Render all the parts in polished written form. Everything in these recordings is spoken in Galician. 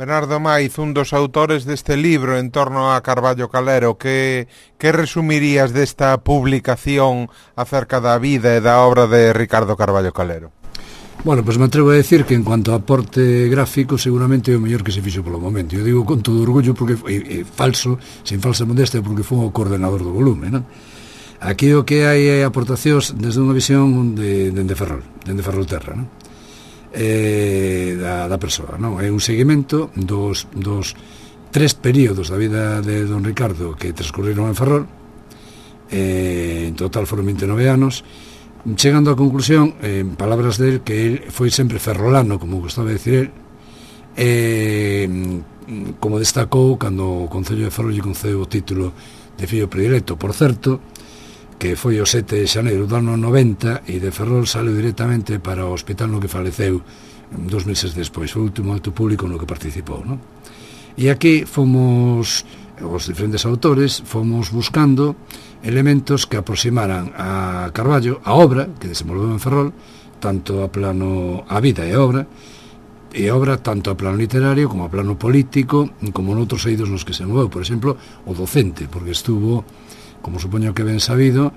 Bernardo Maiz, un dos autores deste libro en torno a Carballo Calero, que resumirías desta publicación acerca da vida e da obra de Ricardo Carballo Calero? Bueno, pois me atrevo a decir que en cuanto a aporte gráfico seguramente é o mellor que se fixo polo momento. Eu digo con todo orgullo porque é falso, sin falsa modestia, porque foi o coordenador do volume, non? Aquí o que hai é aportacións desde unha visión dende Ferrolterra, non? Da persoa, non? É un seguimento dos 3 períodos da vida de don Ricardo que transcurriron en Ferrol. En total foron 29 anos, chegando á conclusión, en palabras del, que él foi sempre ferrolano, como gostaba de decir él, como destacou cando o Concello de Ferrol lle concedeu o título de fillo predilecto, por certo, que foi o 7 de xaneiro do ano 90, e de Ferrol saleu directamente para o hospital no que faleceu 2 meses despois. Foi o último acto público no que participou, non? E aquí fomos, os diferentes autores, fomos buscando elementos que aproximaran a Carballo, a obra que desenvolveu en Ferrol, tanto a plano, a vida e a obra tanto a plano literario como a plano político, como noutros eidos nos que se moveu, por exemplo, o docente, porque estuvo, como supoño que ben sabido,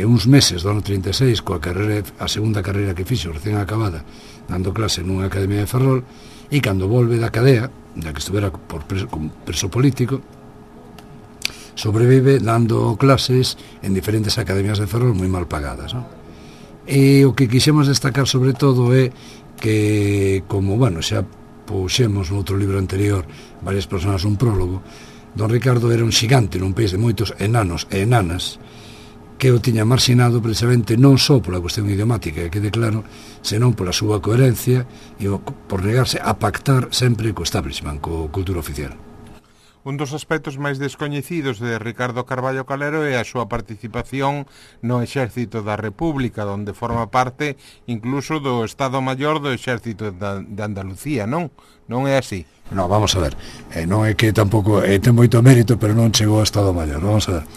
uns meses do ano 36 coa carreira, a segunda carreira que fixo recén acabada, dando clase nunha academia de Ferrol, e cando volve da cadea, da que estuvera como preso político, sobrevive dando clases en diferentes academias de Ferrol moi mal pagadas, non? E o que quixemos destacar sobre todo é que, como, bueno, xa puxemos no outro libro anterior varias personas un prólogo, don Ricardo era un xigante nun país de moitos enanos e enanas que o tiña marxinado precisamente non só pola cuestión idiomática, que quede claro, senón pola súa coherencia e por negarse a pactar sempre co establishment, co cultura oficial. Un dos aspectos máis descoñecidos de Ricardo Carballo Calero é a súa participación no Exército da República, onde forma parte incluso do Estado Maior do Exército de Andalucía, non? Non é así? Non, vamos a ver, non é que tampouco ten moito mérito, pero non chegou ao Estado Maior, vamos a ver.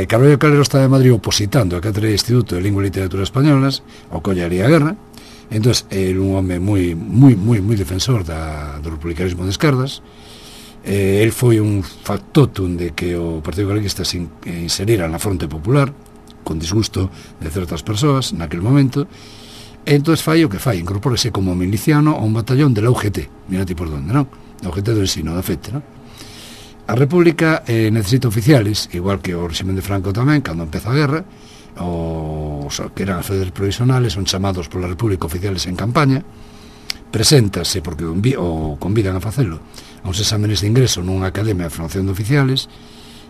Carballo Calero está en Madrid opositando a cátedra de Instituto de Lingua e Literatura Españolas, ao collaría a guerra. Entón, é un home moi defensor do republicanismo de esquerdas. El foi un factotum de que o Partido Galeguista se inserira na fronte popular, con disgusto de certas persoas naquele momento. Entón fai o que fai, incorpórese como miliciano a un batallón de la UGT, mira ti por donde, non? A UGT do ensino, da FET, non? A República necesita oficiales, igual que o régimen de Franco tamén, cando empeza a guerra, os que eran as fedes provisionales, son chamados pola República oficiales en campaña, preséntase, porque o convidan a facelo, a uns exámenes de ingreso nunha academia de formación de oficiales,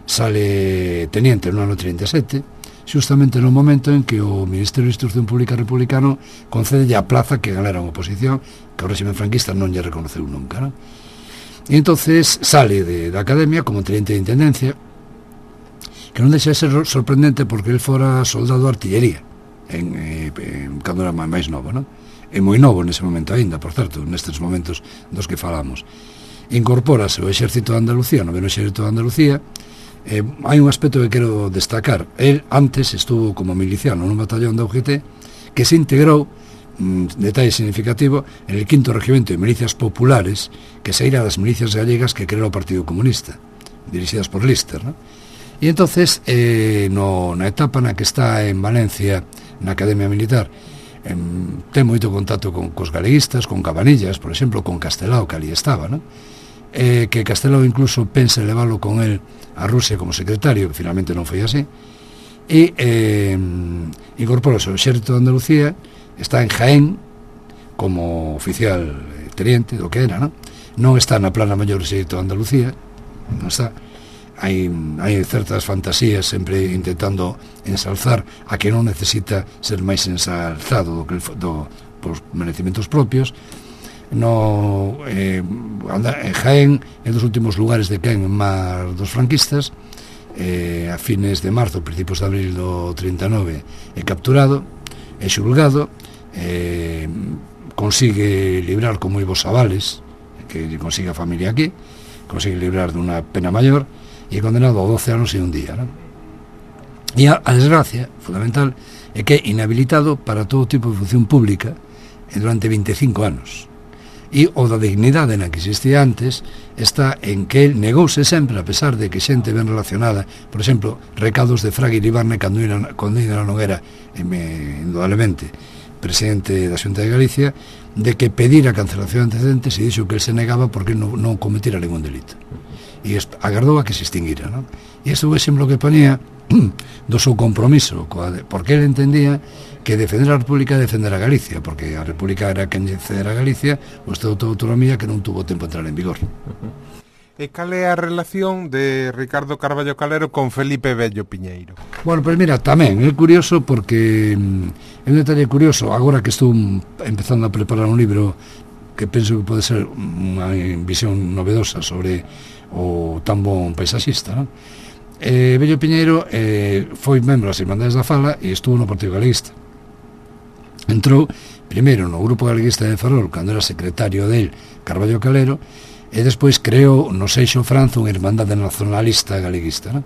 sale teniente no ano 37, justamente no momento en que o Ministerio de Instrucción Pública republicano concede a plaza que ganara unha oposición que o régimen franquista non lle reconoceu nunca, non? E entonces sale da academia como teniente de intendencia, que non deixa de ser sorprendente porque ele fora soldado de artillería cando era máis novo, non? É moi novo nese momento aínda, por certo, nestes momentos dos que falamos. Incorpórase o Exército de Andalucía, no Noveno Exército de Andalucía. Hai un aspecto que quero destacar. El antes estuvo como miliciano nun batallón da UGT que se integrou, detalle significativo, en el 5º Regimento de Milicias Populares, que saíra das milicias gallegas que creou o Partido Comunista, dirixidas por Lister, ¿no? E entonces, na etapa na que está en Valencia, na Academia Militar, ten moito contacto cos galeguistas, con Cabanillas, por exemplo, con Castelao, que ali estaba, ¿no? Que Castelao incluso pensa leválo con él a Rusia como secretario, que finalmente non foi así, e incorporou-se ao Exército de Andalucía, está en Jaén como oficial teniente do que era, non está na plana maior do Exército de Andalucía, non está. Hai certas fantasías sempre intentando ensalzar a que non necesita ser máis ensalzado por merecimentos propios. Jaén é dos últimos lugares de quen en mar dos franquistas. A fines de marzo, principios de abril do 39 é capturado, é xulgado, consigue librar con moi bons avales, que consigue a familia aquí, consigue librar dunha pena maior, e é condenado a 12 anos e un día, non? E a desgracia fundamental é que é inhabilitado para todo tipo de función pública durante 25 anos. E o da dignidade na que existía antes está en que el negouse sempre, a pesar de que xente ben relacionada, por exemplo, recados de Fraga Iribarne cando ainda non era indudablemente presidente da Xunta de Galicia, de que pedira a cancelación de antecedentes e dixo que el se negaba porque non cometera ningún delito. E agardou a que se extinguira, non? E isto é o exemplo que ponía do seu compromiso, porque ele entendía que defender a República é defender a Galicia, porque a República era quen defender a Galicia, o Estado de Autonomía que non tuvo tempo de entrar en vigor. E cal é a relación de Ricardo Carballo Calero con Felipe Vello Piñeiro? Bueno, pues mira, tamén é curioso porque é un detalle curioso, agora que estou empezando a preparar un libro que penso que pode ser unha visión novedosa sobre o tan bon paisaxista, non? Vello Piñeiro foi membro das Irmandades da Fala e estuvo no Partido Galeguista. Entrou primeiro no Grupo Galeguista de Ferrol cando era secretario del Carballo Calero e despois creou no Seixo Franzo unha Irmandade Nacionalista Galeguista, non?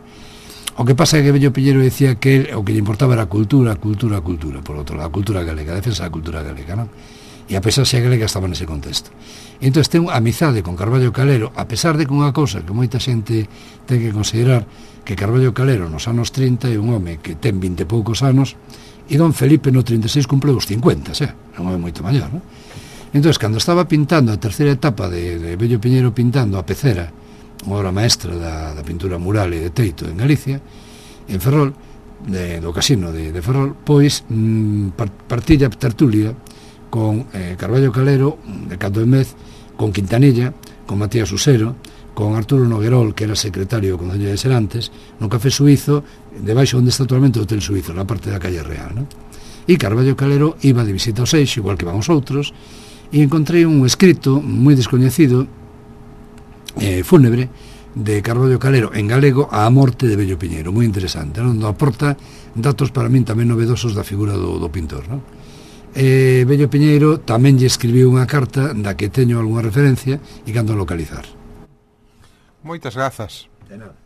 O que pasa é que Vello Piñeiro decía que o que lle importaba era a cultura, por outro lado, a cultura galega, a defensa da cultura galega, non? E a paisaxe galega estaba nese contexto. E entón ten amizade con Carballo Calero, a pesar de que unha cousa que moita xente ten que considerar, que Carballo Calero nos anos 30 é un home que ten 20 e poucos anos, e don Felipe no 36 cumple os 50, é un home moito maior, non? Entón, cando estaba pintando a terceira etapa de Vello Piñeiro pintando a Pecera, unha obra maestra da pintura mural e de teito en Galicia, en Ferrol, do casino de Ferrol, pois partilla tertulia con Carballo Calero, de Cando de Mez, con Quintanilla, con Matías Usero, con Arturo Noguerol, que era secretario do Concello de Serantes, no Café Suizo, debaixo onde está actualmente o Hotel Suizo, na parte da calle Real, non? E Carballo Calero iba de visita ao Seixo, igual que vamos outros, e encontrei un escrito moi descoñecido, fúnebre, de Carballo Calero en galego á morte de Vello Piñeiro, moi interesante, non? Aporta datos para min tamén novedosos da figura do pintor, non? Vello Piñeiro tamén lle escribiu unha carta da que teño algunha referencia e cando localizar. Moitas grazas. De nada.